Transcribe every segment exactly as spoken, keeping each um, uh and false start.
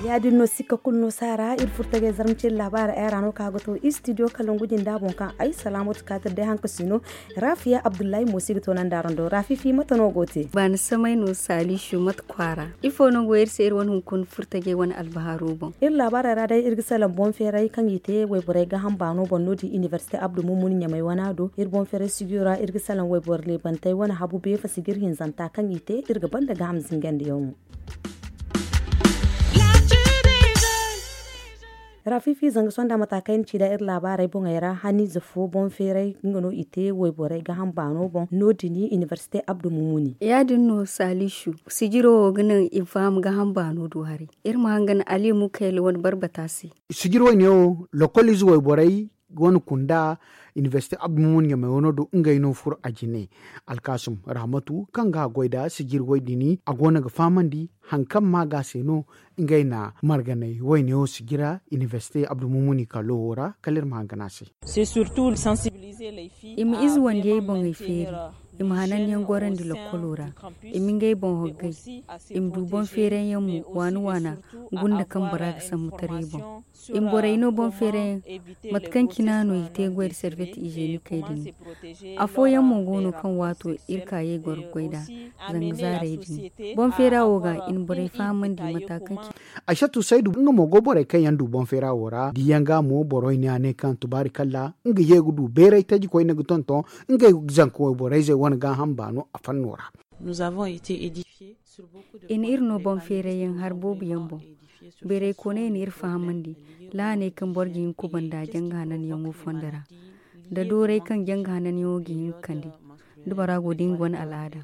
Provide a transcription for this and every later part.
Ya- din no, sikka kulu no saara iri furtagay zarma ciri laabaara ay ra no ka ga to istidiyo kalangu jinda boŋ kaŋ ay salaamatu kaatir day haŋ ka si no. Rafiya abdullahi mo si ga to naŋ daarando rafifi mate no go te. Baani samay no saalisu mate kwaara ifo no go iri se iri wane hunkuna furtagay wane albaharo boŋ. Iri laabaarey ra day iri ga salaŋ boŋ feeray kaŋ i te wayborey gaaham baano boŋ no- din inibersite abdu mumuni ɲamay wana do iri boŋ feeray sigiyo ra iri ga salaŋ wayboro leebantey wane habu beefa sijir hinzanta kaŋ i te iri ga banda gaaham zingandiyaŋo. Rafifi zanga sonda mata kaŋ ay na ci nd'a iri laabaarey boŋey ra haniize fo boŋ feeray nga no i te wayborey gaaham baano boŋ no- din inibersite abdu mumuni. Ya- din no saalisu sijiro wo ga naŋ i ma faham gaaham baano do haray. Iri ma hangan ali mukayla wane barbata se. Sijir wayne wo lokol ize wayborey wane kunda inibersite abdu mumuni ɲamay wano do ngey no furo a jine. Alkaasum rahmatu kaŋ ga a goy nda sijir way din a go no ga fahamandi haŋ kaŋ maaga se no ngey na marganay wayne wo sijira inibersite abdu mumuni kalo wo ra kala iri ma hangan a se. I ma ize wandiyey boŋey feeri, i ma hananyaŋ gorandi lokkolo ra, i ma ngey boŋ hoggay, i ma du boŋ feeranyaŋ mo waana waana gunda kaŋ bora ga sambu taray boŋ. I ma borey no boŋ feeranyaŋ mate kaŋ cina no i te goy nda serbet izenikey din. Afooyaŋ mo go no kaŋ waato iri ka ye goro goy nd'a zanga zaarey din. Boŋ feera wo ga i na borey fahamandi mata kaŋ cina. Aysatu saydu nga mo go borey kaŋ yaŋ du boŋ feera wo ra diyaŋ ga mo boro i ne a ne kaŋ tubaari kalla nga ye ga du beeray taji koyne ga tonton ngey zanka wayborey zey wane gaaham baano a fanno ra. I na iri no boŋ feeray yaŋ hari boobo yaŋ boŋ. Beeray kooney na iri fahamandi lahaney kaŋ boro ga hin ga kubanda janga hananyaŋo fondo ra, nda dooray kaŋ janga hananyaŋo ga hin ga kande da bora go da nga wane al'aada.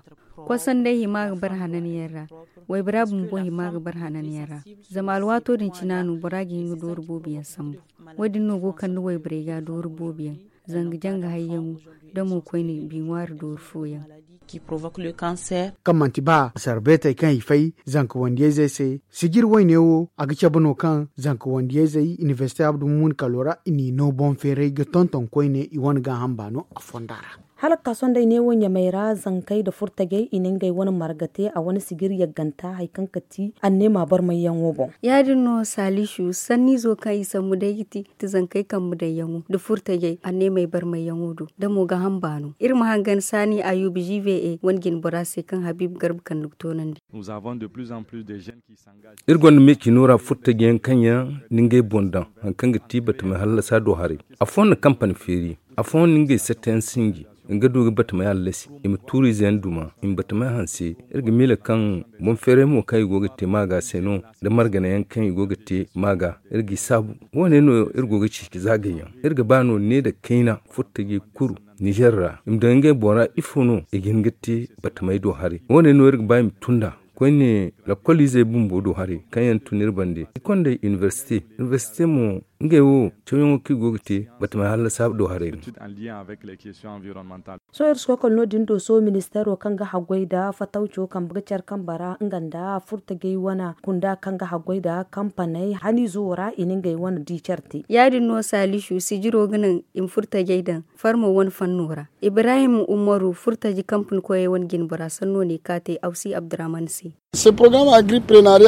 Kosanday hima ga bar hananyaŋ ra, waybora bumbo hima ga bar hananyaŋ ra. Zama alwaato din cina no bora ga hin ga dooru boobo yaŋ sambu. Wo- din no go kande wayborey ga dooru boobo yaŋ zanga janga hayyaŋo da mo koyne bi ŋwaari dooru fooyaŋ. Kaŋ manti ba sarbeetey kaŋ i fay zanka wandiyayzey se sijir wayne wo a ga cabe no kaŋ zanka wandiyayzey inibersite abdu mumuni kalo ra i n'i no boŋ feeray ga tonton koyne i wane gaaham baano a fonda ra. Hala ga ka sohõ day neewo ɲamey ra zankey nda furtajey i na ngey wane marga te a wane sijir yagganta hari kaŋ ga ti anneema barmayyaŋo boŋ. Ya- din no saalisu sanniizo kaŋ i sambu day ga ti zankey kambe dayyaŋo nda furtajey anneemey barmayyaŋo do da mo gaaham baano iri ma hangan saani ayuba ziive e wane jinbora se kaŋ habiiba garba kande ga toonandi. Iri gonda meecino ra furtaji yaŋ kaŋ yaŋ na ngey boŋ daŋ hari kaŋ ga ti batamey hallasa do haray. Afooyaŋ na kampani feeri, afooyaŋ na ngey satta yaŋ sinji. Nga du ga batamey hallasi i ma tuuriize yaŋ duma i ma batamey hanse. Iri ga miila kaŋ boŋ feeray mo kaŋ i go ga te maaga se no, da margana yaŋ kaŋ i go ga te maaga. Iri g'i saabu. Wo- ne no iri go ga ceeci zaagay yaŋ. Iri ga ba no ne nda kayna furtajey kulu nizer ra i ma daŋ ngey boŋ ra ifo no i ga hin ga te batamey do haray. Wo- ne no iri ga ba i ma tun nd'a koyne lakkoliizey bumbo do haray kaŋ yaŋ tun iri bande i kondey inibersite. Inibersite mo ngey wo cawyaŋo kaŋ i go ga te batamey hallasa do haray no. Sohõ iri si koy kala no- din do sohõ ministeero kaŋ ga haggoy nda fatawco kambe ga care kambe ra nga nda furtajey wane kunda kaŋ ga haggoy nda kampaney haniizo wo ra i na ngey wane di care te. Ya- din no saalisu sijiro ga naŋ i ma furtajey daŋ farmo wane fanno ra. Ibrahim umaru furtaji kampani koyey wane jinbora sanno ne ka te awsi abdurahman se.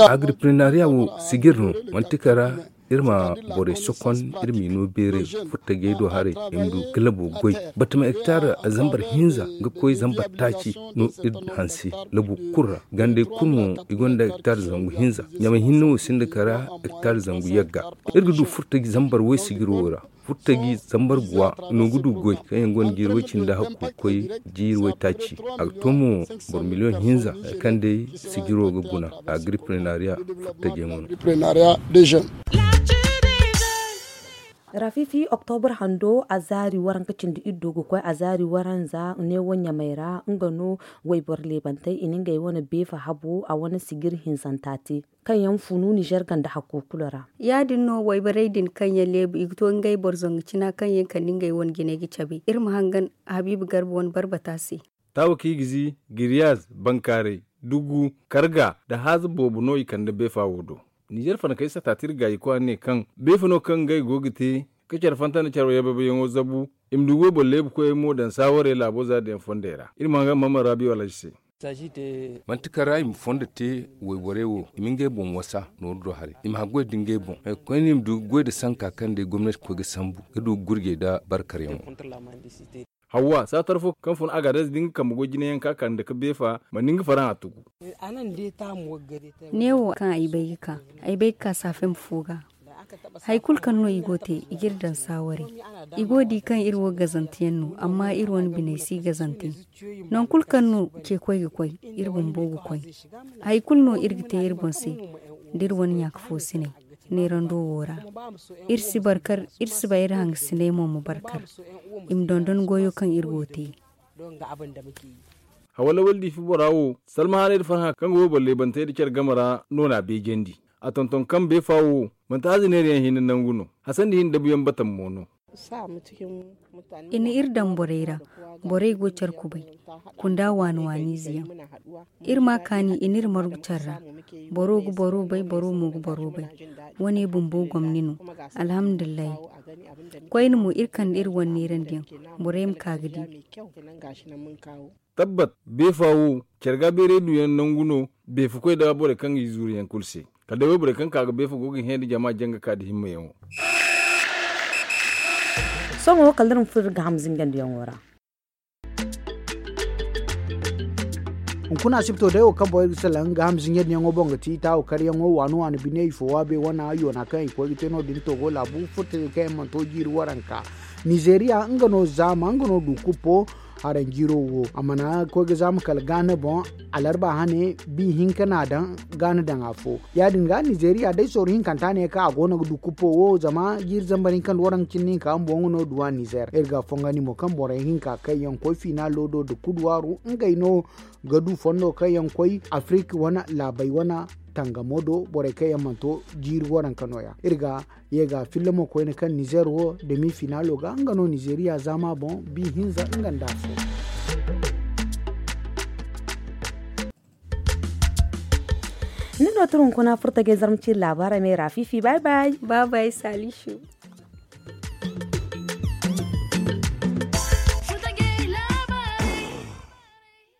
Agripreneria wo sijir no manti kala iri ma borey sokon iri m'i no beeray furtajey do haray i ma du ga labo goy. Batama hektar zambar hinza ga koy zambar taaci no iri hanse labo kulu ra. Gandey kulu mo i gonda hektar zangu hinza. Ɲamay hinne wo sinda kala hektar zangu yagga. Iri ga du furtaji zambar way sijiro wo ra. Furtaji zambar guwa no ga du goy kaŋ yaŋ gonda jiiri way cindi hakku ga koy jiiri way taaci. A ga to mo boro miliyoŋ hinza hari kaŋ day sijiro ga guna. Agripreneria furtajey mo no. Rafifi oktobar hando a zaari waranka cindi iddo ga koy a zaari waranza neewo ɲamay ra nga no wayboro leebantey i na ngey wane beefa habo a wane sijir hinzanta te. Kaŋ yaŋ funu nizer ganda hakku kulu ra. Ya- din no wayborey din kaŋ yaŋ leebu i ga to ngey boro zangu cina kaŋ yaŋ kande ngey wane jinay ga cabe iri ma hangan habiiba garba wane barbata se. Taawa kaŋ i ga zi giriyaz bankaaray dugu karga nda haaza boobo no i kande beefa wo do. Nizer fana kay sata tirgaayi kwaara ne kaŋ beefa no kaŋ ngey go ga te ka care fanta nda care wayyabayyaŋo zabu. I ma du goy boro leebu koyey mo daŋ saawarey laabo za da yaŋ fondey ra. Iri ma haŋ ga maman rabi wala se. Manti kaŋ ra i ma fondo te wayborey wo i ma ngey boŋ wasa nooru do haray i ma haggoy da ngey boŋ. Koyne i ma du goy da sanka kaŋ day gomnati koy ga sambu ga du gurjey nda barkaryaŋo. Hawwa saatar fo kaŋ fun a ga adaz da nga kambe goy jinayaŋ ka kande ka beefa ma ni nga faraŋ a tugu. Neewo kaŋ ay bay ga ka ay bay ga ka saafem fo ga. Hari kulu kaŋ no i go te i ga iri daŋ saawaray. I go ga di kaŋ iri wo gazanteyaŋ no amma iri wane biney si gazante. Nangu kulu kaŋ no ceekoy ga koy iri bumbo ga koy. Hari kulu no iri ga te iri boŋ se da iri wane ɲaaka foosiney neerando wo ra. Iri si barkar iri si ba iri hangasiney mo ma barkar. I ma dondon goyo kaŋ iri go ga te. Hawa lawal diifi bora wo salmahaanay nda farhã kaŋ ga wayboro leebantey nda care game ra no n'a beejandi. A tonton kaŋ beefa wo manti hazineeriyaŋ hinne nangu no. Hasandi hinne dabuyaŋ batam mo no. I na iri daŋ borey ra. Borey go care kubay kunda waani waaniize yaŋ. Iri ma kaani i n'iri margu care ra. Boro ga boro bay boro mo ga boro bay. Wane bumbo gomni no. Alhamdulillahi. Koyne mo iri kande iri wane neerandiyaŋ. Borey ma ka ga di. Tabbat beefa wo care ga beeray duyaŋ nangu no. Beefa koy da borey kaŋ ga i zuuru yaŋ kulu se kala day wayborey kaŋ ka ga beefa go ga hẽ nda jama jaŋ ga ka nda himmayaŋo. Sohõ wo kala da iri ma furo iri ga ham zinjandiyaŋo ra. Hunkuna asibto day wo kaŋ borey ga salaŋ ga ham zinjandiyaŋo boŋ ga ti taawo karyaŋo waani waani bine ifo waabe wana yoona kaŋ i koy ga te no- din togo laabu furtajey kaŋ yaŋ mana to jiiri waranka. Nizeeriya nga no zaama nga no du kuppo. Haranjiiro wo a mana koy ga zaama kala gaana boŋ. Alarba hane bi hinka n'a daŋ gaana daŋ afo. Ya- din ga nizeeriya day sorro hinkanta ne kaŋ a go no ga du kuppo wo zama jiiri zambar hinka nda waranka cindi hinka bumbo nga no du a nizeer iri ga fongandi mo kaŋ borey hinka kaŋ yaŋ koy fiinaalo do nda kuduwaaru ngey no ga du fondo kaŋ yaŋ koy afirik wane laabey wane tangamo do borey kaŋ yaŋ mana to jiiri waranka no- ya iri ga ye ga filla mo koyne kaŋ nizeer wo demi finaalo ga nga no nizeeriya zaama boŋ bi hinza nga nda afo. Ni no tira hunkuna furtajey zarma ciiri laabaarey me ra fiifi bay bay. Bay bay salisu.